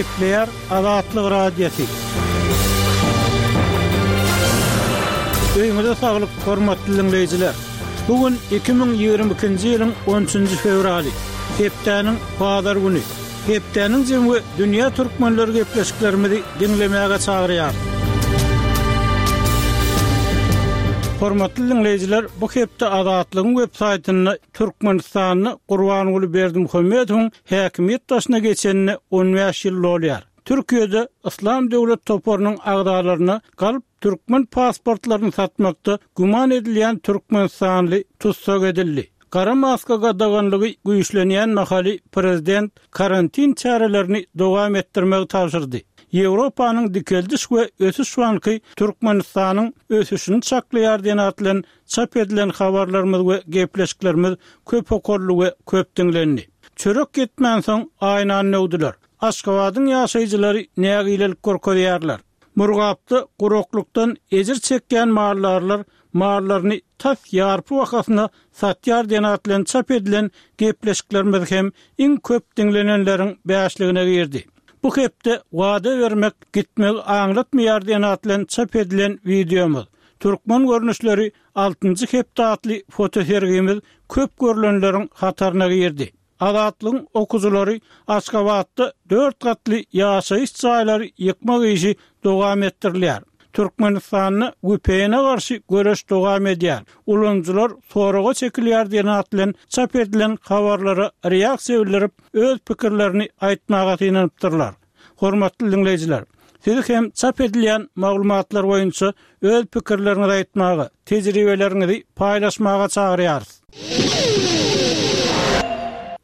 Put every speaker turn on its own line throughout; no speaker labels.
Gepleýär Azatlyk Radiosy. Öýüňize saglyk, hormatly diňleýjiler! Bu gün 2022-nji ýylyň on üçünji fewraly, hepdäniň bazar güni. Hepdäniň jemi we dünýä türkmenleri gepleşiklerimizi diňlemäge çagyrýar. Hormatly diňleýjiler, bu hepde Azatlygyň web saýtynda Türkmenistanda Gurbanguly Berdimuhamedowyň häkimiýet başyna geçenine 15 ýyl dolýar. Türkiýede Yslam döwlet toparynyň agzalaryna galp Türkmen pasportlaryny satmakda güman edilýän türkmenistanly tussag edildi. Gara maska gadaganlygy güýçlenýän mahaly prezident karantin çärelerini dowam etdirmegi tabşyrdy. Ýewropanyň Dikeldiş we ösüş banky Türkmenistanyň ösüşini çaklaýar diýen at bilen çap edilen habarlarymyz we gepleşiklerimiz köp okaldy we köp diňlendi. Çörek ýetmänsoň aýnany döwdüler. Aşgabadyň ýaşaýjylary nägilelik görkezýärler. Murgapda guraklykdan ejir çekýän maldarlar mallaryny tas ýarpy bahasyna satýar diýen at bilen çap edilen gepleşiklerimiz hem iň köp diňlenenleriň bäşligine girdi. Bu hepde wada bermek gitmegi aňlatmaýar diýen at bilen çap edilen wideomyz, Türkmen görnüşleri altynjy hepde atly fotosergimiz köp görlenleriň hataryna girdi. Azatlygyň okyjylary Aşgabatda dört gatly ýaşaýyş jaýlary ýykmak işi dowam etdirilýär. Türkmenistanda VPN-e garşy göreş dowam edýär. Ulanyjylar soraga çekilýär diýen at bilen çap edilen habarlara reaksiýa bildirip, öz pikirlerini aýtmaga synanypdyrlar. Hormatly diňleýjiler, sizi hem çap edilýän maglumatlar boýunça öz pikirleriňizi aýtmaga, tejribeleriňizi paýlaşmaga çagyrýarys.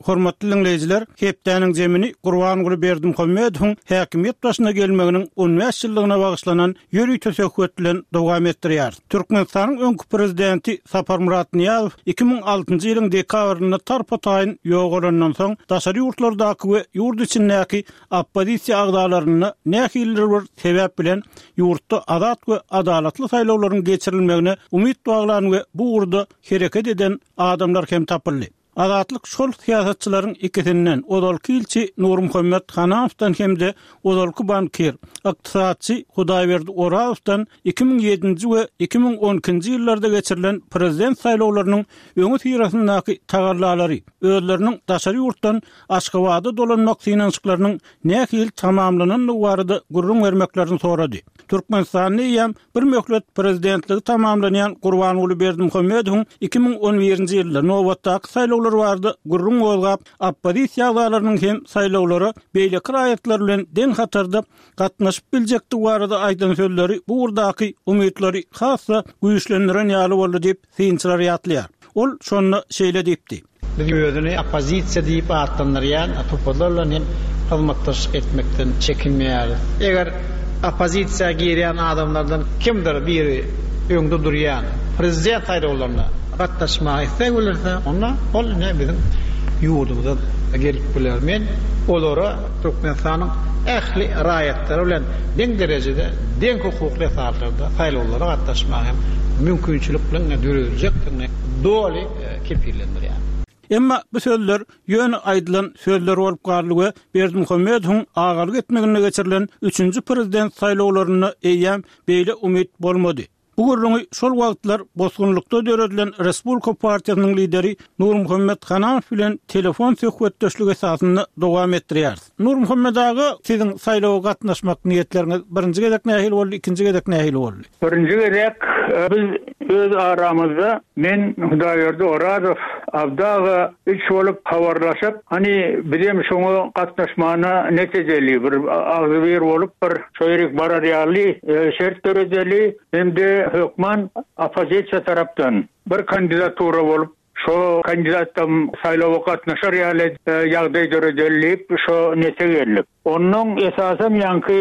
Hormatly diňleýjiler, hepdäniň zemini Gurbanguly Berdimuhamedowyň häkimiýet başyna gelmeginiň 15 ýyllygyna bagyşlanan ýörite söhbet bilen dowam etdirýäris. Türkmenistanyň öňki prezidenti Saparmyrat Nyýazow 2006-njy ýylyň dekabrynda tarpa-taýyn ýogalandan soň, daşary ýurtlardaky we ýurt içindäki oppozisiýa agzalarynda nähilidir bir sebäp bilen ýurtda azat we adalatly saýlawlaryň geçirilmegine umyt baglan we bu ugurda hereket eden adamlar hem tapyldy. Azatlyk şol syýasatçylaryň ikisinden, ozalky ilçi Nurmuhammet Hananowdan hem-de ozalky bankir, ykdysatçy Hudaýberdi Orazowdan 2007-nji we 2012-nji ýyllarda geçirilen prezident saýlawlarynyň öňüsyrasyndaky tagallalary, özleriniň daşary ýurtdan Aşgabada dolanmak synanyşyklarynyň nähili tamamlanandygy barada gürrüň bermeklerini sorady. Türkmenistanda eýýäm bir möhlet prezidentligi tamamlanýan Gurbanguly Berdimuhamedowyň 2011-nji ýylda nobatdaky saýlawlar barada gürrüň gozgap, oppozisiýa agzalarynyň hem saýlawlara beýleki raýatlar bilen deň hatarda gatnaşyp biljekdigi barada aýdan sözleri bu ugurdaky umytlary has-da güýçlendiren ýaly boldy diýip, synçylar ýatlaýar. Ol şonda şeýle diýipdi.
Biz özüni oppozisiýa diýip atlandyrýan toparlar bilen hem hyzmatdaşlyk etmekden çekinmeýäris. Eger oppozisiýa girýän adamlardan kimdir biri öňde durýan prezident saýlawlaryna gatnaşmaga isleg bildirse, onda ol ine biziň ýurdumyza gelip biler. Men olara Türkmenistanyň ähli raýatlary bilen deň derejede, deň hukukly esaslarda saýlawlara gatnaşmaga hem mümkinçilikleriň dörediljekdigini doly kepillendirýär.
Emma bu sözler ýöne aýdylan sözler bolup galdy we Berdimuhamedowyň agalyk etmeginde geçirilen üçünji prezident saýlawlarynda eýýäm beýle umyt bolmady. Bu gürrüňi şol wagtlar bosgunlykda döredilen Respublika partiýasynyň lideri Nurmuhammet Hananow bilen telefon söhbetdeşligi esasynda dowam etdirýäris. Nurmuhammet aga, siziň saýlawa gatnaşmak niýetleriňiz birinji gezek nähili boldy, ikinji gezek nähili boldy?
Birinji gezek biz öz aramyzda men, Hudaýberdi Orazow, Abdy aga üç bolup habarlaşyp, hany bizem şoňa gatnaşmana net edeli, bir agzybir bolup bir şo ýerik barar ýaly şert döredeli hem-de hökman oppozisiýa tarapdan bir kandidatura bolup şo kandidatam saýlawa gatnaşar ýaly ýagdaý döredeli diýip şo nete geldik. Onnoň esasam ýaňky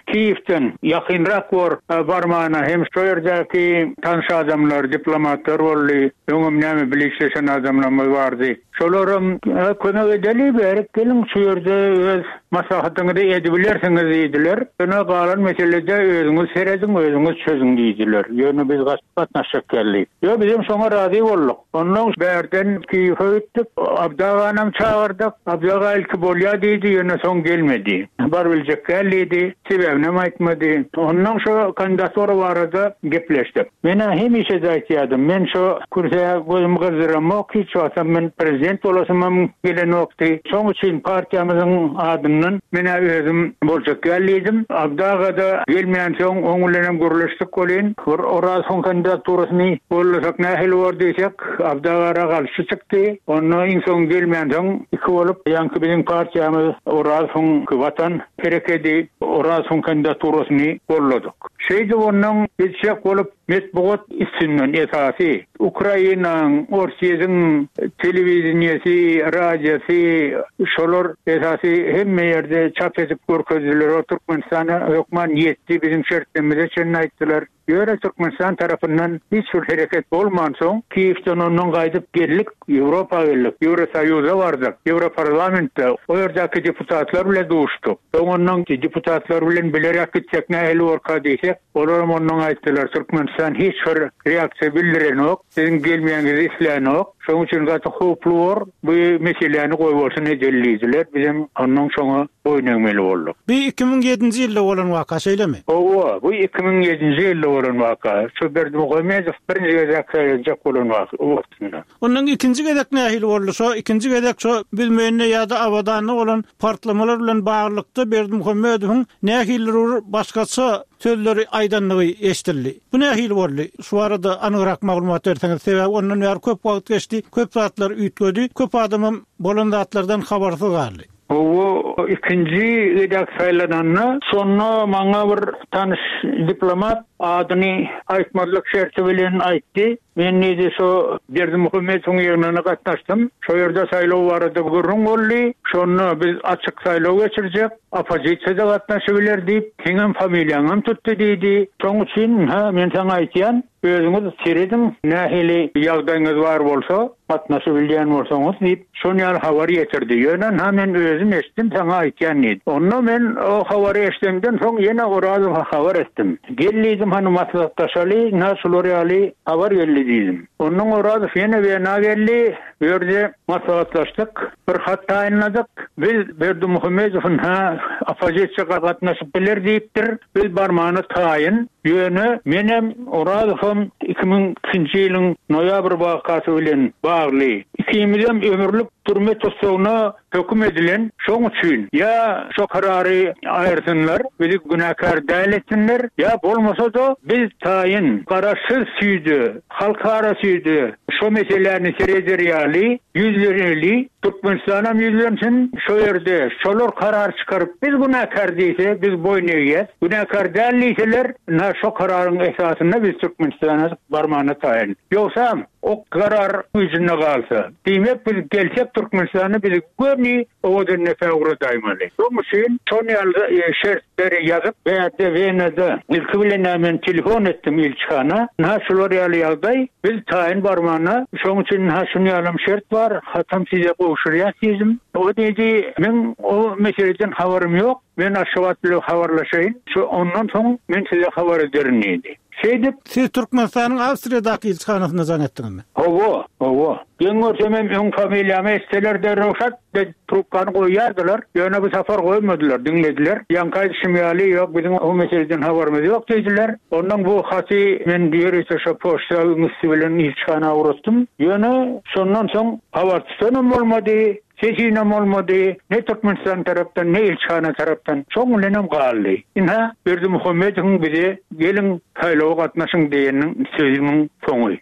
Kiýewden ýakynrak bor barmana hem şo ýerdäki tanyş adamlar, diplomatlar boldy. Öňem näme bile işleşen adamlarymyz bardy. Şolaram, Kömek edeli, bärik geliň, şu ýerde öz maslahatyňyzy edibilersiňiz diýdiler. Ýöne galan meselede özüňiz serediň, özüňiz çözüň diýdiler. Ýöne biz gatnaşjak geldik. Ýok, bizem şoňa razy bolduk. Onnoň bärden Kiýewe gitdik. Abdy aganam çagyrdyk. Abdy aga ilki bolýa diýdi, ýöne soň gelmedi. Barybiljek däl diýdi. Sebäbinem aýtmady. Onnoň şo kandidatura barada gepleşdik. Men-ä hemişe-de aýtýardym, men şo kürsä gözümi gyzdyramok, hiç wagtam men prezident bolasymam gelenokdy. Şoň üçin partiýamyzyň adyndan men-ä özüm boljak däl diýdim. Abdy aga-da gelmänsoň, oň bilenem gürleşdik welin, bir Orazowyň kandidaturasyny gollasak nähili bor diýsek, Abdy aga garşy çykdy. Onda iň soň gelmänsoň, iki bolup, ýaňky biziň partiýamyz Orazowyň Watan herekedi Orazowyň kandidaturasyny golladyk. Şeýdip onnoň gitjek bolup metbugat üstünden esasy Ukrainaň, Orsýetiň telewideniýesi, radiosy şolar esasy hemme ýerde çap edip görkezdiler. O Türkmenistana hökman ýetdi biziň şertlerimize çenli aýtdylar. Ýöne Türkmenistan tarapyndan hiç bir hereket bolmansoň Kiýewden onnoň gaýdyp geldik, Ýewropa geldik, Ýewrosoýuza bardyk, Ýewroparlamentde o ýerdäki deputatlar bilen duşduk. Soň ondan deputatlar bilen bileräk gitsek nähili borka diýsek, olaram ondan aýtdylar, Türkmenistan hiç bir reaksiýa bildirenok, siziň gelmegiňizi islänok, şonuň üçin gaty howply bor, bu meseläni goýbolsun edeli diýdiler. Bizem ondan şoňa boýun egmeli bolduk.
Bu 2007-nji ýylda bolan waka, şeýlemi?
Hawa, bu 2007-nji ýylda bolan waka. Şu Berdimuhamedow birinji gezek saýlanjak bolan wagtynda.
Ondan ikinji gezek nähili boldy? Şo ikinji gezek şo Büzmeýinde ýa-da Abadanda bolan partlamalar bilen baglylykda Berdimuhamedowyň nähilidir bir başgaça sözleri aýdandygy eşidildi. Bu nähili boldy? Şu barada anygrak maglumat berseňiz, sebäbi ondan bäri köp wagt geçdi, köp zatlar üýtgedi, köp adamam bolan zatlardan habarsyz galdy.
Hawa, ikinji gezek saýlananda, şonda maňa bir tanyş diplomat adyny aýtmazlyk şerti bilen aýtdy. Men diýdi, şo Berdimuhamedowyň ýygnagyna gatnaşdym. Şo ýerde saýlaw barada gürrüň boldy. Şonda biz açyk saýlaw geçirjek, oppozisiýa-da gatnaşybiler diýip, seňem familiýaňam tutdy diýdi. Şoň üçin, ynha, men saňa aýtýan, özüňiz serediň, nähili ýagdaýyňyz bar bolsa, gatnaşybilýän bolsaňyz diýip, Şon ýaly habar ýetirdi. Ýöne ynha men özüm eşitdim, saňa aýtýan diýdi. Onda men o habary eşidemden soň ýene Orazowa habar etdim. Gel diýdim, hany maslahatlaşaly, ynha şular ýaly habar geldi diýdim. Ondan Orazow ýene Wena geldi, bu ýerde maslahatlaşdyk, bir hat taýynladyk. Biz Berdimuhamedow ynha oppozisiýa gatnaşyp biler diýipdir, biz barmana taýyn. Ýöne menem, Orazowam 2002-nji ýylyň noýabr wakasy bilen bagly ikimizem ömürlik türme tussagyna höküm edilen, şoň üçin ýa şo karary aýyrsynlar, bizi günäkär däl etsinler, ýa bolmasa-da biz taýyn garaşsyz süýde, halkara süýde şo meseläni sereder ýaly ýüzleneli, Türkmenistanam ýüzlensin, şo ýerde şolar karar çykaryp biz günäkär diýse biz boýun egýäs, günäkär däl diýseler ynha şo kararyň esasynda biz Türkmenistana barmana taýyn. Ýogsam o karar güýjünde galsa, diýmek biz gelsek Türkmenistana bizi göni Owadandepä ugradaýmaly. Şoň üçin şon ýaly şertleri ýazyp bärde Wenada ilki bilen-ä men telefon etdim ilçihana, ynha şular ýaly ýagdaý, biz taýyn barmana, şoň üçin ynha şun ýalam şert bar, hatam size gowşurýas diýdim. O diýdi, meň o meseleden habarym ýok, men Aşgabat bilen habarlaşaýyn, şo ondan soň men size habar ederin diýdi. Şeýdip.
Siz Türkmenistanyň Awstriýadaky ilçihanasyna jaň etdiňizmi?
Hawa, hawa. Geň görsemem öň familiýamy eşitseler derrew şat edip trubkany goýýardylar. Ýöne bu sapar goýmadylar, diňlediler. Ýaňky aýdyşym ýaly, ýok, biziň o meseleden habarymyz ýok diýdiler. Onnoň bu haty men ýörite şo poçta üsti bilen ilçihana ugratdym. Ýöne şondan soň habar tutanam bolmady. Sesinem bolmady, ne Türkmenistan tarapdan, ne ilçihana tarapdan. Şoň bilenem galdy. Ynha, Berdimuhamedowyň bize geliň, saýlawa gatnaşyň diýeniniň sözüniň soňy.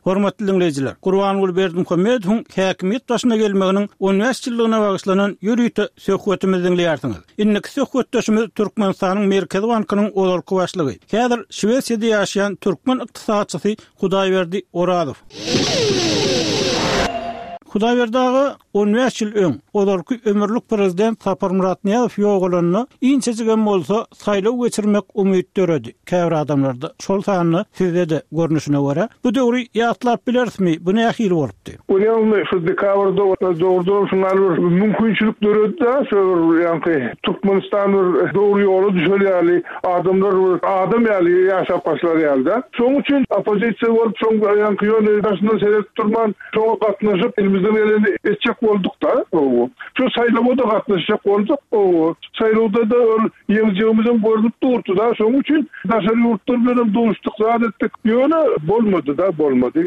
Hormatly diňleýjiler, Gurbanguly Berdimuhamedowyň häkimiýet başyna gelmeginiň on bäş ýyllygyna bagyşlanan ýörite söhbetimizi diňleýärsiňiz. Indiki söhbetdeşimiz Türkmenistanyň Merkezi bankynyň ozalky başlygy, häzir Şwesiýada ýaşaýan türkmen ykdysatçysy Hudaýberdi Orazow. Hudaýberdi aga, on bäş ýyl öň, ozalky ömürlik prezident Saparmyrat Nyýazow ýogalanda, inçejigem bolsa, saýlaw geçirmek umyt döredi käbir adamlarda, şol sanda sizde-de görnüşine görä. Bu döwri ýatlap bilerismi, bu nähili bolupdy?
Görýäňizmi, şu dekabrda dogrudanam şuňa bir mümkinçilik döredi-de, şo bir ýaňky Türkmenistan bir dogry ýola düşer ýaly, adamlar bir adam ýaly ýaşap başlar ýaly-da. Şonuň üçin oppozisiýa bolup, şoň ýaňky ýöne daşyndan seredip durman, Şoňa gatnaşyp, elimizden geleni etjek bolduk-da. Şu saýlawa-da gatnaşjak bolduk. Saýlawda-da ol ýeňjegimizem görnüp durdy-da. Şonuň üçin daşary ýurtlar bilenem duşduk, zat etdik. Ýöne bolmady-da, bolmady.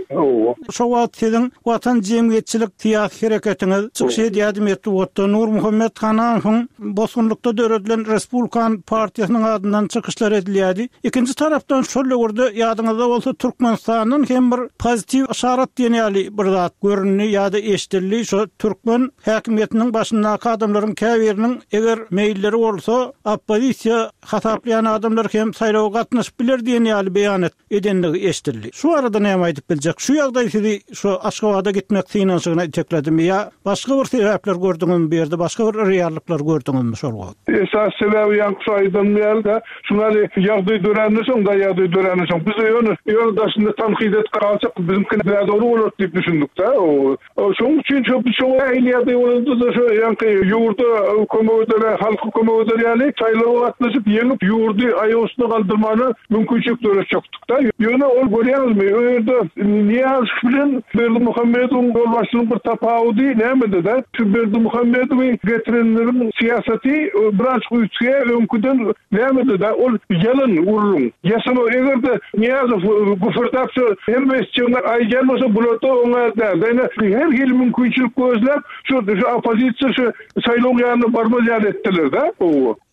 Şo wagt siziň Watan jemgyýetçilik syýasy hereketiňiz çykyş edýärdi metbugatda. Nurmuhammet Hanamowyň bosgunlykda döredilen Respublikan partiýasynyň adyndan çykyşlar edilýärdi. Ikinji tarapdan şol döwürde ýadyňyzda bolsa Türkmenistandan hem bir pozitiw yşarat diýen ýaly bir zat göründi ýa-da eşidildi. Şo türkmen häkimiýetiniň başyndaky adamlaryň käbiriniň eger meýilleri bolsa oppozisiýa hasaplaýan adamlar hem saýlawa gatnaşyp biler diýen ýaly beýanat edendigi eşidildi. Şu barada näme aýdyp biljek? Şu ýagdaý sizi şu Aşgabada gitmek synanyşygyna itekledimi ýa başga bir sebäpler gördüňizmi bu ýerde, başga bir reallyklar gördüňizmi şol wagt?
Esasy sebäbi ýaňky şu aýdanym ýaly-da, Şuňaly ýagdaý döränden soň, da ýagdaý döränden soň, biz ýöne, ýöne daşynda tankyt edip galsak, biziňki nädogry bolar diýip düşündik-dä. Şonuň üçin şo biz şoňa nähili ýagdaý bolanda-da şo ýaňky ýurda kömek eder, halka kömek eder ýaly saýlawa gatnaşyp, ýeňip, ýurdy aýak üstüne galdyrmana mümkinçilik döretjekdik-dä. Ýöne ol görýäňizmi, o ýerde Nyýazow bilen Berdimuhamedowyň ýolbaşçylygyň bir tapawudy nämede-dä? Şu Berdimuhamedowy getirenleriň syýasaty birazjyk üýtgeýär öňküden nämede-dä? Ol ýalan gürrüň, ýasama. Eger-de Nyýazow güpürdäp şu hemme etjegini aýdýan bolsa, bular-da oňa däl-de. Ine, her hili mümkinçilik gözläp, şu oppozisiýa şu saýlawyň ýanyna barmaz ýaly etdiler-dä.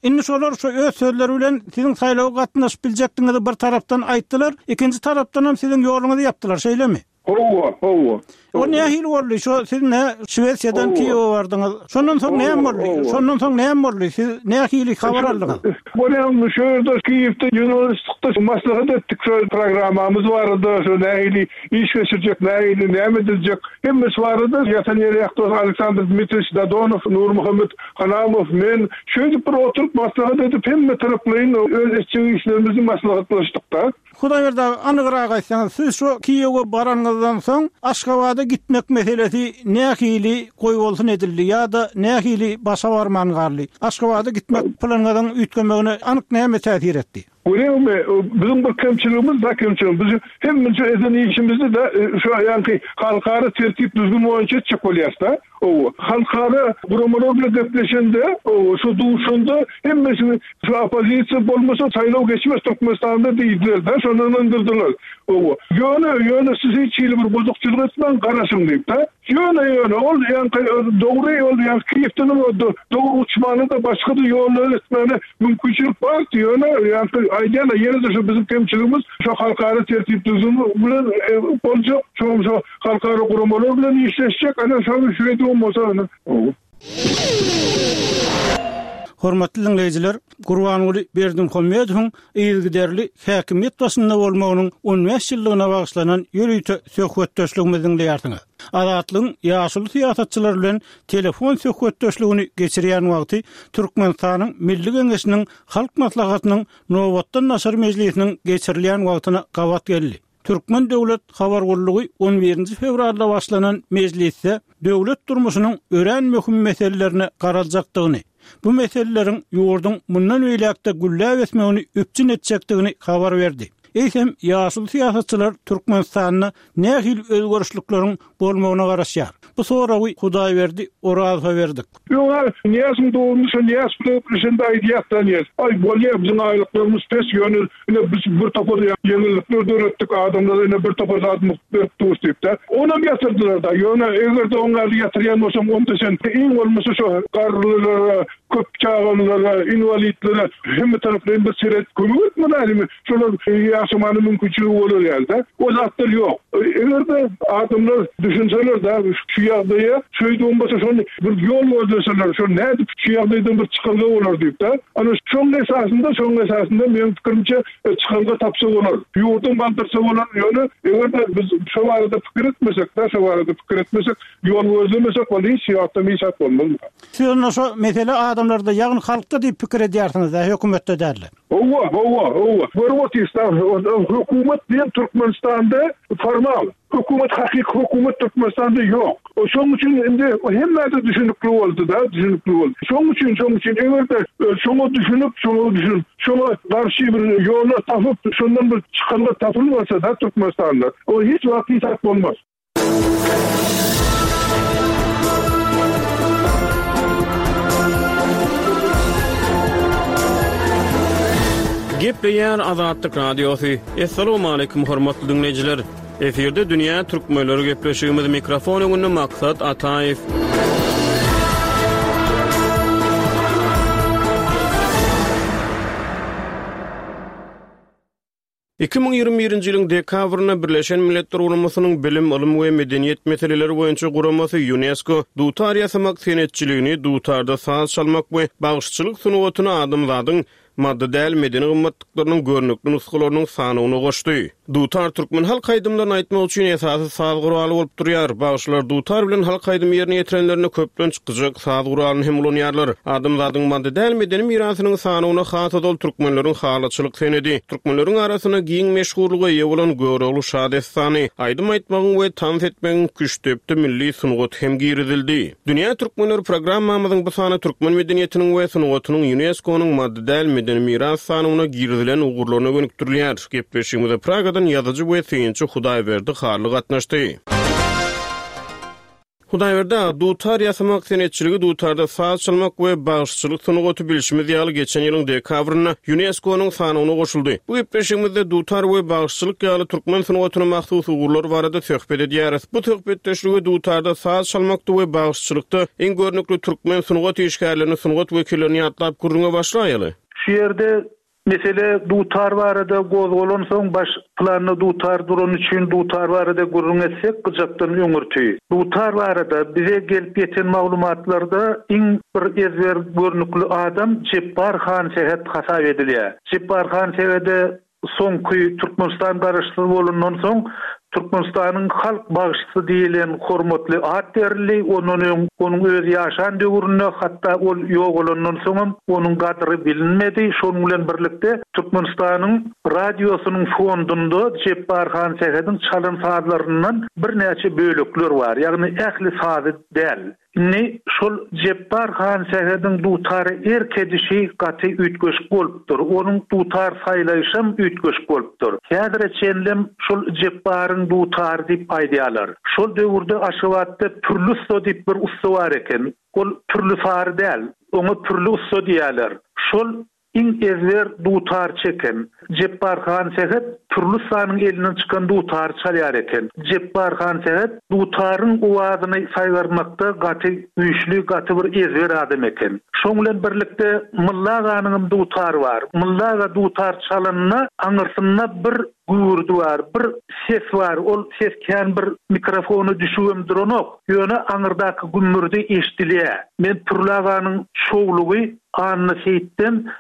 Indi şolar şu öz sözleri bilen siziň saýlawa gatnaşyp biljekdigiňizi bir tarapdan aýtdylar, ikinji tarapdanam siziň ýoluňyzy ýapdylar, şeýlemi?
Hawa, hawa.
O nähili boldy? Şo siz nä Şwesiýadan Kiýewe bardyňyz. Şondan soň näme boldy? Şondan soň näme boldy? Siz nähili habar aldyňyz?
Bolýamy, şo ýerde Kiýewde ýygnanyşdykda maslahat etdik şo programmamyz barada, şo nähili iş geçirjek, nähili näme ediljek, hemmesi barada ýatan ýeri ýakdy Aleksandr Dmitriýewiç Dadonow, Nurmuhammet Hanamow, men şeýdip bir oturyp maslahat edip hemme taraplaýyn öz etjek işlerimizi maslahatlaşdykda.
Hudaýberdi aga, anygrak aýtsaňyz, siz şo Kiýewe baranyňyzdan soň Aşgabada gitmek meselesi nähili goýbolsun edildi ýa-da nähili başa barman galdy? Aşgabada gitmek planyňyzyň üýtgemegine anyk näme täsir etdi?
Görýäňmi, biziň bir kemçiligimiz da kemçiligimiz, biz hemmeje eden işimizi-de şu ýaňky halkara tertip-düzgün boýunça etjek bolýarys-da. Hawa, halkara guramalar bilen gepleşende, hawa, şu duşanda hemmesini şu oppozisiýa bolmasa saýlaw geçmez Türkmenistanda diýdiler-de, şonda ynandyrdylar. Hawa, ýöne, ýöne siz hiç hili bir bozukçylyk etmäň, garaşyň diýip-de. Ýöne, ýöne ol ýaňky dogry ol ýaňky Kiýewdenem dogry uçmana-da başga-da ýollar etmäne mümkinçilik bardy, ýöne ýaňky aýdýan-a ýene-de şu biziň kemçiligimiz şo halkara tertip-düzgün bilen boljak, şoň şo Halkara guramalar bilen işleşjek, ana şony şeýdibem bolsa ana.
Hormatly diňleýjiler, Gurbanguly Berdimuhamedowyň yzygiderli häkimiýet başynda bolmagynyň on bäş ýyllygyna bagyşlanan ýörite söhbetdeşligimizi diňleýärsiňiz. Azatlygyň ýaşuly syýasatçylary bilen telefon söhbetdeşligini geçirýän wagty Türkmenistanyň Milli Geňeşiniň Halk Maslahatynyň nobatdan daşary mejlisiniň geçirilýän wagtyna gabat geldi. Türkmen döwlet habar gullugy on birinji fewralda başlanan mejlisde döwlet durmuşynyň örän möhüm meselelerine garaljakdygyny, bu meseleleriň ýurduň mundan beýläk-de gülläp ösmegini üpjün etjekdigini habar berdi. Eýsem, ýaşuly syýasatçylar Türkmenistanda nähili özgerişlikleriň bolmagyna garaşýar? Bu soragy Hudaýberdi Orazowa berdik.
Ýog-a, Nyýazyň dogruny şo Nyýaz bilen gepleşende aýdýas-da Nyýaz. Aý, bolýa, biziň aýlyklarymyz pes, ýöne ine biz bir topar ýeňillikler döretdik, adamlara ine bir topar zat mugt berip durus diýip-de. Onam ýatyrdylar-da. Ýöne eger-de oň ýaly ýatyrýan bolsaň, onda sen iň bolmasa şo garrylara. Köp çagalylara, inwalidlere hemme taraplaýyn bir seret kömek etmeli älimi şolar ýaşamana mümkinçiligi bolar ýaly-da. O zatlar ýok. Eger-de adamlar düşünseler-de şu ýagdaýa, şeýdibem bolsa şony bir ýol gözleseler, şol nädip şu ýagdaýdan bir çykalga bolar diýip-de. Ana şoň esasynda, şoň esasynda meň pikirimçe çykalga tapsa bolar. Ýurdam galdyrsa bolar. Ýöne eger-de biz şo barada pikir etmesek-de, şo barada pikir etmesek, ýol gözlemesek ol hiç wagtam hiç zat bolmaz.
Siz onda şo mesele adamlarda, ýagny halkda diýip pikir edýärsiňiz-dä, hökümetde däl-de?
Hawa, hawa, hawa. Görüp otyrys-da, hökümet diýen Türkmenistanda formal. Hökümet, hakyky hökümet Türkmenistanda ýok. Şonuň üçin indi hemmä-de düşünikli boldy-da, düşünikli boldy. Şonuň üçin, şonuň üçin eger-de şoňa düşünip, şoňa düşünip, şoňa garşy bir ýola tapyp, şondan bir çykalga tapylmasa-da Türkmenistanda, o hiç wagt hiç zat bolmaz.
Gepleýär Azatlyk Radiosy. Assalamualaikum hormatly diňleýjiler. Efirde dünýä türkmenleri gepleşigimiz mikrofon öňünde Maksat Ataýew. 2021-nji ýylyň dekabrynda Birleşen Milletler Guramasynyň Bilim, ylym we medeniýet meseleleri boýunça guramasy Ýunesko dutar ýasamak senetçiligini, dutarda saz çalmak we bagşyçylyk sungatyny adamzadyň maddy däl medeni gymmatlyklarynyň görnükli nusgalarynyň sanawyna goşdy. Dutar türkmen halk aýdymlaryny aýtmak üçin esasy saz guraly bolup durýar. Bagşylar dutar bilen halk aýdymy ýerine ýetirenlerinde köplenç gyjak saz guralyny hem ulanýarlar. Adamzadyň maddy däl medeni mirasynyň sanawyna has ozal türkmenleriň halyçylyk senedi, türkmenleriň arasynda giň meşhurlyga eýe bolan Görogly şa dessany, aýdym aýtmagyň we tans etmegiň küştdepdi milli sungaty hem girizildi. Dünýä türkmenleri programmamyzyň bu sany türkmen medeniýetiniň we sungatynyň Ýunesko-nyň maddy däl medeni miras sanawyna girizilen ugurlaryna gönükdirilýär. Gepleşigimize Pragadan ýazyjy we synçy Hudaýberdi Hally gatnaşdy. Hudaýberdi aga, dutar ýasamak senetçiligi, dutarda saz çalmak we bagşyçylyk sungaty bilşimiz ýaly geçen ýylyň dekabrynda Ýunesko-nyň sanawyna goşuldy. Bu gepleşigimizde dutar we bagşyçylyk ýaly türkmen sungatyna mahsus ugurlar barada söhbet edýäris. Bu söhbetdeşlige dutarda saz çalmakda we bagşyçylykda iň görnükli türkmen sungat işgärlerini, sungat wekillerini ýatlap gürrüňe başlaýaly.
Şu ýerde mesele dutar barada gozgalansoň baş planda dutar durany üçin dutar barada gürrüň etsek gyjakdan öňürti. Dutar barada bize gelip ýeten maglumatlarda iň bir ezber görnükli adam Jepbar Hansähet hasap edilýär. Jepbar Hansähede Soňky Türkmenistan garaşsyz bolandan soň Türkmenistanyň halk bagşysy diýlen hormatly at berildi. Ondan öň onuň özi ýaşan döwründe, hatda ol ýogalandan soňam onuň gadyry bilinmedi. Şonuň bilen birlikde Türkmenistanyň radiosynyň fondunda Jepbar Hansähediň çalan sazlaryndan birnäçe bölekler bar. Ýagny ähli sazy däl. Indi şol Jepbar Hansähediň dutara erk edişi gaty üýtgeşik bolupdyr. Onuň dutar saýlaýşam üýtgeşik bolupdyr. Häzire çenlem şol Jepbaryň dutary diýip aýdýarlar. Şol döwürde Aşgabatda Pürli ussa diýip bir ussa bar eken. Ol Pürli Sary däl, oňa Pürli ussa diýýärler. Şol Iň ezber dutar çeken Jepbar Hansähet Pürli ussanyň elinden çykan dutary çalýar eken. Jepbar Hansähet dutaryň owazyny saýgarmakda gaty güýçli, gaty bir ezber adam eken. Şoň bilen birlikde Mylla aganyňam dutary bar. Mylla aga dutar çalanda aňyrsynda bir güwürdi bar, bir ses bar. Ol ses kän bir mikrofona düşübem duranok. Ýöne aňyrdaky gümmürdi eşidilýär. Men Pürli aganyň şowlugy Anna Seýitden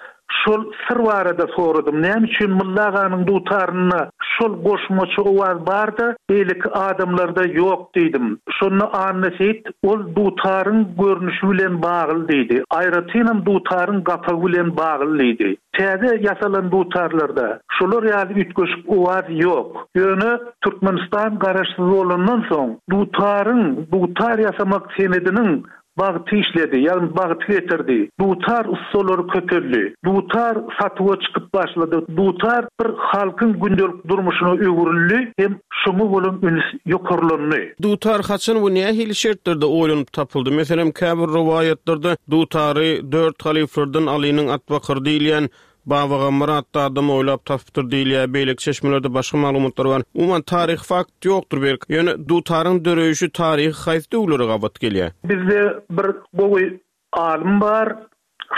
şol syr barada soradym. Näme üçin Mylla aganyň dutarynda şol goşmaça owaz bar-da, beýleki adamlarda ýok diýdim. Şonda Anna Seýit ol dutaryň görnüşi bilen bagly diýdi. Aýratynam dutaryň gapagy bilen bagly diýdi. Täze ýasalan dutarlarda şolar ýaly üýtgeşik owaz ýok. Ýöne Türkmenistan garaşsyz bolandan soň dutaryň, dutar ýasamak senediniň Bagty işledi, ýagny bagty getirdi. Dutar ussalary köpeldi. Dutar satuwa çykyp başlady. Dutar bir halkyň gündelik durmuşyna öwrüldi hem şoňa bolan üns ýokarlandy.
Dutar haçan we nähili şertlerde oýlanyp tapyldy? Meselem, käbir rowaýatlarda dutary dört halyflardan Alynyň atbakary diýilýän Babagammar atly adam oýlap tapypdyr diýilýär, beýleki çeşmelerde başga maglumatlar bar. Umuman, taryhy fakt ýokdur belki. Ýöne dutaryň döreýşi taryhy haýsy döwürlere gabat gelýär?
Bizde bir gowy alym bar.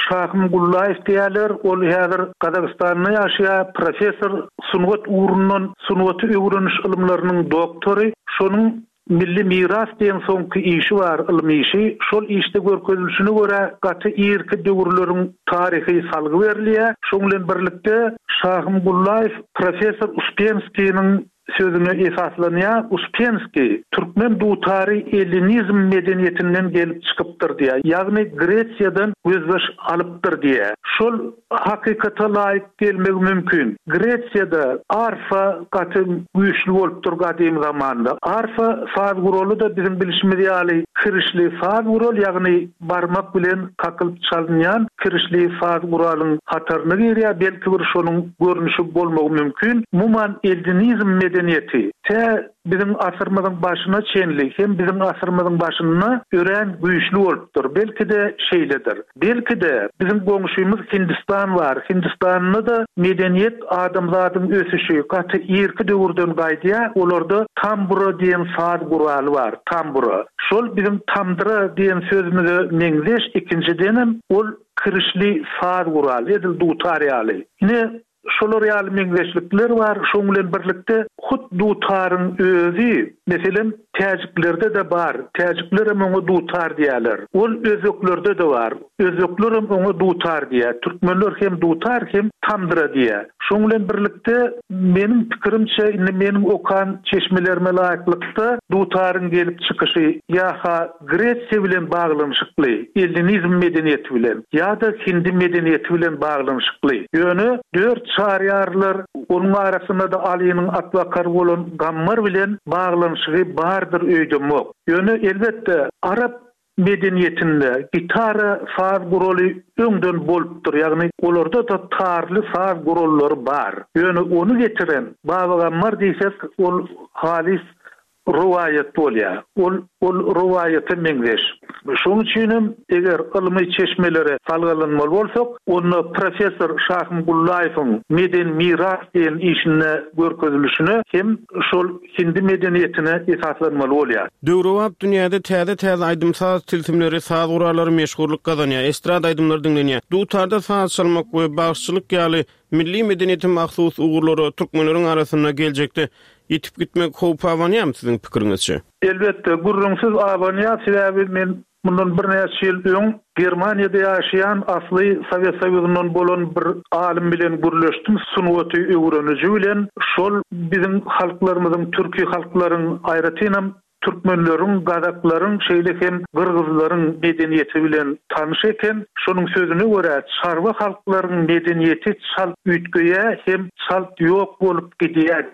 Şahym Gullaýew diýýärler, ol häzir Gazagystanda ýaşaýar, professor, sungat ugrundan sungaty öwreniş ylymlarynyň doktory. Şonuň Milli miras diýen soňky işi bar, ylmy işi. Şol işde görkezilişine görä, gaty irki döwürleriň taryhy salgy berilýär. Şoň bilen birlikde, Şahym Gullaýew professor Uspenskiniň sözüne esaslanýar. Uspenskiý, Türkmen dutary ellinizm medeniýetinden gelip çykypdyr diýýär. Ýagny Gresiýadan gözbaş alypdyr diýýär. Şol hakykata laýyk gelmegi mümkin. Gresiýada arfa gaty güýçli bolupdyr gadymy zamanda. Arfa saz guraly-da biziň bilşimiz ýaly kirişli saz gural, ýagny barmak bilen kakylyp çalynýan kirişli saz guralyň hataryna girýär, belki bir şonuň görnüşi bolmagy mümkin. Umuman ellinizm medeniýeti tä biziň asyrymyzyň başyna çenli hem biziň asyrymyzyň başynda örän güýçli bolupdyr. Belki-de şeýledir. Belki-de, biziň goňşymyz Hindistan bar. Hindistanda-da medeniýet, adamzadyň ösüşi gaty irki döwürden gaýdýar. Olarda tambura diýen saz guraly bar, tambura. Şol biziň tamdyra diýen sözümize meňzeş, ikinjidenem, ol kirişli saz gural, edil dutar ýaly. Ine, Şolar ýaly meňzeşlikler bar, şoň bilen birlikde hut dutaryň özi, meselem, täjiklerde-de bar, täjiklerem oňa dutar diýýärler. Ol özbeklerde-de bar, özbeklerem oňa dutar diýýär, türkmenler hem dutar hem tamdyra diýýär. Şoň bilen birlikde, meniň pikirimçe, indi meniň okan çeşmelerime laýyklykda, dutaryň gelip çykyşy ýa-ha Gresiýa bilen baglanyşykly, ellinizm medeniýeti bilen ýa-da hindi medeniýeti bilen baglanyşykly. Ýöne dört çaryýarlar, onuň arasynda-da Alynyň atbakary bolan Gammar bilen baglanyşygy bardyr öýdemok. Ýöne, elbetde, arap medeniýetinde gitara saz guraly öňden bolupdyr, ýagny olarda-da tarly saz gurallary bar. Ýöne ony getiren Baba Gammar diýsek, ol halys rowaýat bolýar. Ol ol rowaýata meňzeş. Şonuň üçin hem eger ylmy çeşmelere salgylanmaly bolsak, onda professor Şahym Gullaýewiň Medeni miras diýen işinde görkezilişine hem şol hindi medeniýetine esaslanmaly bolýar.
Döwrebap dünýäde täze-täze aýdym-saz tilsimleri, saz gurallary meşhurlyk gazanýar, estrada aýdymlary diňlenýär. Dutarda saz çalmak we bagşyçylyk ýaly Milli medeniýete mahsus ugurlara türkmenleriň arasynda geljekde ýitip gitmek howpy abanýarmy siziň pikiriňizçe?
Elbetde, gürrüňsiz abanýar, sebäbi men mundan birnäçe ýyl öň Germaniýada ýaşaýan, asly Sowet Soýuzyndan bolan bir alym bilen gürleşdim, sungaty öwreniji bilen, şol biziň halklarymyzyň, türki halklaryň, aýratynam Türkmenleriň, gazaklaryň, şeýle hem gyrgyzlaryň medeniýeti bilen tanyş eken. Şonuň sözüne görä, çarwa halklaryň medeniýeti çalt üýtgeýär hem çalt ýok bolup gidýär.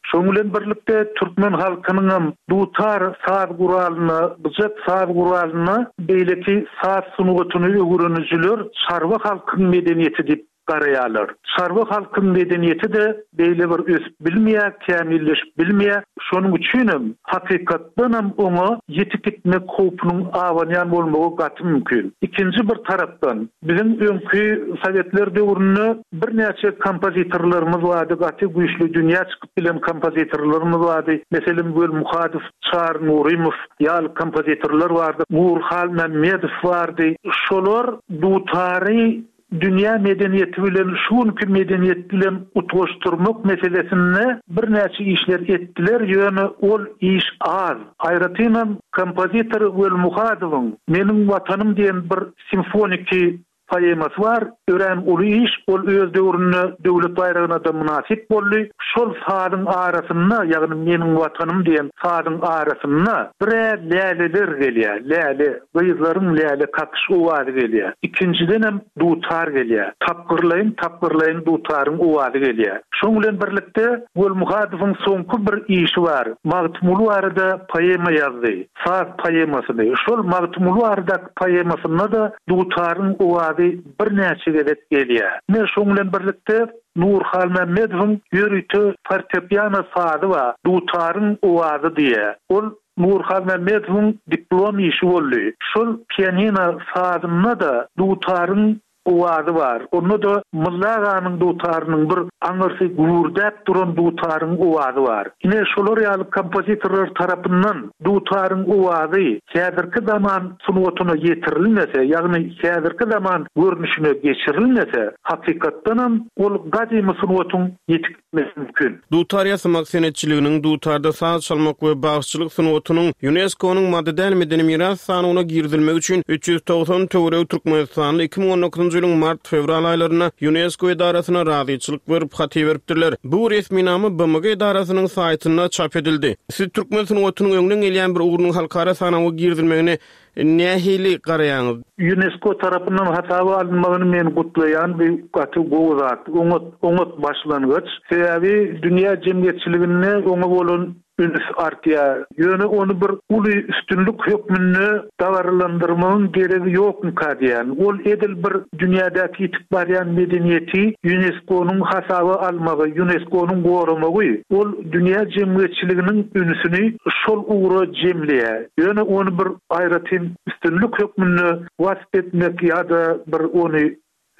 Şonuň bilen birlikde, türkmen halkynyňam dutar saz guralyna, gyjak saz guralyna beýleki saz sungatyny öwrenijiler çarwa halkyň medeniýeti diýip garaýarlar. Çarwa halkyň medeniýeti-de beýle bir ösüp bilmeýär, kämilleşip bilmeýär. Şonuň üçinem, hakykatdanam oňa ýitip gitmek howpunyň abanýan bolmagy gaty mümkin. Ikinji bir tarapdan, biziň öňki sowetler döwründe birnäçe kompozitorlarymyz bardy, gaty güýçli dünýä çykyp bilen kompozitorlarymyz bardy. Meselem, Weli Muhadow, Çary Nurymow ýaly kompozitorlar bardy, Nury Halmämmedow bardy. Şolar dutary Dünýä medeniýeti bilen şu günki medeniýet bilen utgaşdyrmak meselesinde birnäçe işler etdiler, ýöne ol iş az. Aýratynam kompozitor Welmuhadowyň Meniň Watanym diýen bir simfoniki poemasy bar, örän uly iş, ol öz döwründe döwlet baýragyna-da mynasyp boldy. Şol sazyň arasynda, ýagny Meniň Watanym diýen sazyň arasynda bir-ä läleler gelýär, läle. Gyzlaryň läle kakyş owazy gelýär. Ikinjidenem dutar gelýär. Tapgyrlaýyn-tapgyrlaýyn dutaryň owazy gelýär. Şoň bilen birlikde Welmuhadowyň soňky bir işi bar. Magtymguly barada poema ýazdy. Saz poemasyny. Şol Magtymguly baradaky poemasynda-da dutaryň owazy birnäçe gezek gelýär. Ine, şoň bilen birlikde Nury Halmämmedowyň ýörite fortepiano sazy bar. Dutaryň owazy diýýär. Ol Nury Halmämmedowyň diplom işi boldy. Şol pianino sazynda-da dutaryň owazy bar. Onda-da Mylly aganyň dutarynyň bir aňyrsy gübürdäp duran dutaryň owazy bar. Ine, şolar ýaly kompozitorlar tarapyndan dutaryň owazy häzirki zaman sungatyna ýetirilmese, ýagny häzirki zaman görnüşine geçirilmese, hakykatdanam ol gadymy sungatyň ýetik mümkin.
Dutar ýasamak senetçiliginiň, dutarda saz çalmak we bagşyçylyk sungatynyň Ýunesko-nyň Maddy däl medeni miras sanawyna girizilmegi üçin 390 töweregi türkmenistanly 2019-njy ýylyň mart-fewral aýlarynda Ýunesko edarasyna razyçylyk berip hat iberipdirler. Bu resminama BMG edarasynyň saýtynda çap edildi. Siz türkmen sungatynyň öňden gelýän bir ugrunyň halkara sanawa girizilmegine Nähili garaýaňyz?
Ýunesko tarapyndan hasaba alynmagyny men gutlaýan, bu gaty gowy zat, oňat, oňat başlangyç. Sebäbi dünýä jemgyýetçiliginde oňa bolan üns artýar. Ýöne ony bir uly üstünlik hökmünde dabaralandyrmagyň geregi ýokmyka diýýän. Ol edil bir dünýädäki ýitip barýan medeniýeti Ýunesko-nyň hasaba almagy, Ýunesko-nyň goramagy, ol dünýä jemgyýetçiliginiň ünsüni şol ugra jemleýär. Ýöne ony bir aýratyn üstünlik hökmünde wasp etmek ýa-da bir ony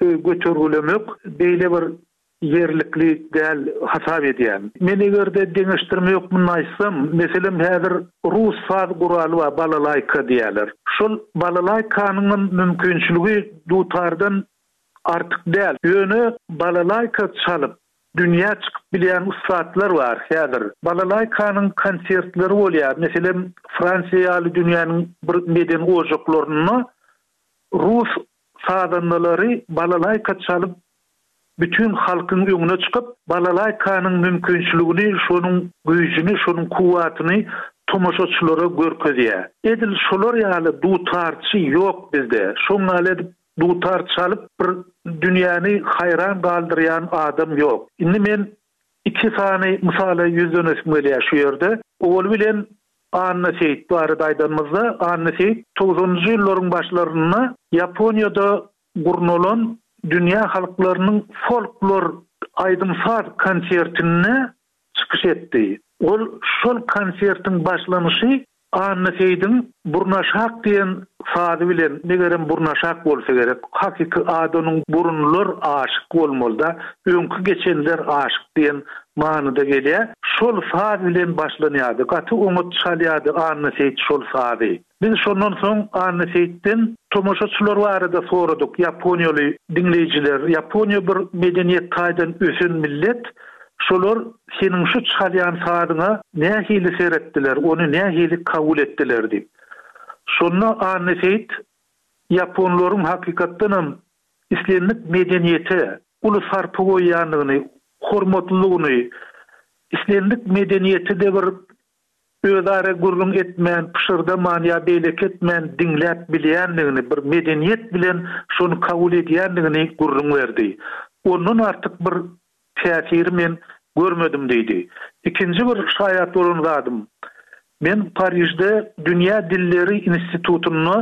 götergilemek beýle bir ýerlikli däl hasap edýän. Men eger-de deňeşdirme hökmünde aýtsam, meselem häzir rus saz guraly bar balalaýka diýýärler. Şol balalaýkanyňam mümkinçiligi dutardan artyk däl. Ýöne balalaýka çalyp, Dünýä çykyp bilýän ussatlar bar häzir. Balalaýkanyň konsertleri bolýar. Meselem, Fransiýa ýaly dünýäniň bir medeni ojaklarynda rus sazandalary balalaýka çalyp, bütin halkyň öňüne çykyp, balalaýkanyň mümkinçiligini, şonuň güýjüni, şonuň kuwwatyny tomaşaçylara görkezýär. Edil şolar ýaly dutarçy ýok bizde. Şoň ýaly edip Dutar çalyp bir dünýäni haýran galdyrýan adam ýok. Indi men iki sany mysala ýüzlenesim gelýär şu ýerde. Owaly bilen Anna Seýit barada aýdanymyzda, Anna Seýit togsanynjy ýyllaryň başlarynda Ýaponiýada gurnalan dünýä halklarynyň folklor aýdym-saz konsertinde çykyş etdi. Ol şol konsertiň başlanyşy Anna Seýdiň Burnaşak diýen sazy bilen, megerem Burnaşak bolsa gerek, hakyky ady onuň Burunlar aşyk bolmaly-da, öňki geçenler aşyk diýen manyda gelýär, şol saz bilen başlanýardy. Gaty oňat çalýardy Anna Seýit şol sazy. Biz şondan soň Anna Seýitden tomaşaçylar barada soradyk, ýaponiýaly diňleýjiler, Ýaponiýa bir medeniýet taýdan ösen millet, Şolar seniň şu çalýan sazyňa nähili seretdiler, ony nähili kabul etdiler diýip. Şonda Anna Seýit ýaponlaryň hakykatdanam islendik medeniýete uly sarpa goýýandygyny, hormatlydygyny, islendik medeniýeti-de bir özara gürrüň etmän, pyşyrdaman ýa beýleki etmän diňläp bilýändigini, bir medeniýet bilen şony kabul edýändigini gürrüň berdi. Ondan artyk bir täsiri men görmedim diýdi. Ikinji bir şaýat bolan zadym, men Parižde Dünýä dilleri institutynda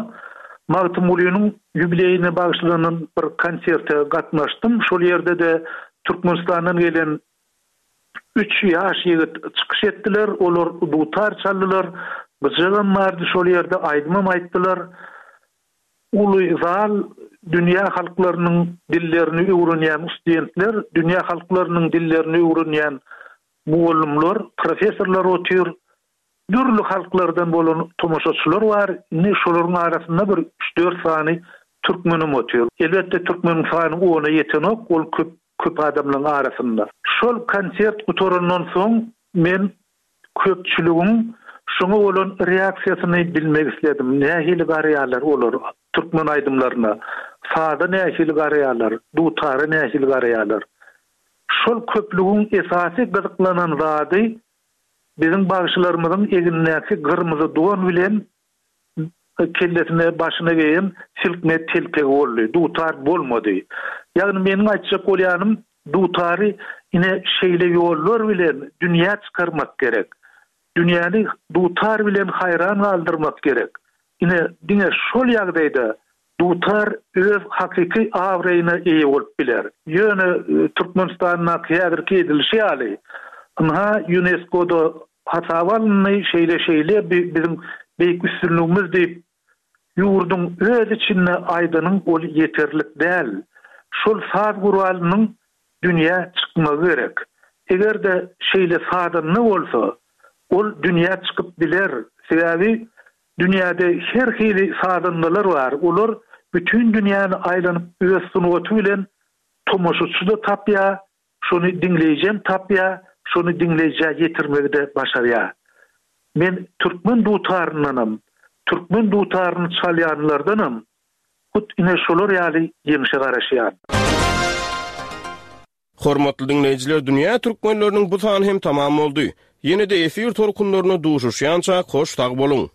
Magtymgulynyň ýubileýine bagyşlanan bir konserte gatnaşdym. Şol ýerde-de Türkmenistandan gelen üç ýaş ýigit çykyş etdiler. Olar dutar çaldylar, gyjagam bardy şol ýerde, aýdymam aýtdylar. Uly zal dünýä halklarynyň dillerini öwrenýän ustudentler, dünýä halklarynyň dillerini öwrenýän mugallymlar, professorlar otyr. Dürli halklardan bolan tomaşaçylar bar. Indi şolaryň arasynda bir üç-dört sany türkmenem otyr. Elbetde, türkmeniň sany ona ýetenok, ol köp köp adamlaryň arasynda. Şol konsert gutarandan soň men Köpçüligiň şoňa bolan reaksiýasyny bilmek isledim. Nähili garaýarlar olar türkmen aýdymlaryna? Saza nähili garaýarlar? Dutara nähili garaýarlar? Şol köplügiň esasy gyzyklanan zady biziň bagşylarymyzyň egnindäki gyrmyzy don bilen kellesine, başyna geýen silkme telpegi boldy. Dutar bolmady. Ýagny meniň aýtjak bolýanym, dutary ine şeýle ýollar bilen dünýä çykarmak gerek. Dünýäni dutar bilen haýran galdyrmak gerek. Ine diňe şol ýagdaýda dutar öz hakyky abraýyna eýe bolup biler. Ýöne Türkmenistandaky häzirki edilişi ýaly, ynha ÝUNESKO-da Hasaba alyndy, şeýle-şeýle bi biziň beýik üstünligimiz diýip, ýurduň öz içinde aýdanyň ol ýeterlik däl. Şol saz guralynyň dünýä çykmagy gerek. Eger-de şeýle sazanda bolsa, ol dünýä çykyp biler. Sebäbi dünýäde her hili sazandalar bar. Olar bütin dünýäni aýlanyp öz sungaty bilen tomaşaçy-da tapýar, şony diňleýjem tapýar, şony diňleýjä ýetirmegi-de başarýar. Men türkmen dutaryndanam, türkmen dutaryny çalýanlardanam Hut ine şolar ýaly ýeňşe garaşýan.
Hormatly diňleýjiler Dünýä Türkmenleriniň bu sany hem tamam boldy. Ýene-de efir tolkunlarynda duşuşýançak hoş sag boluň.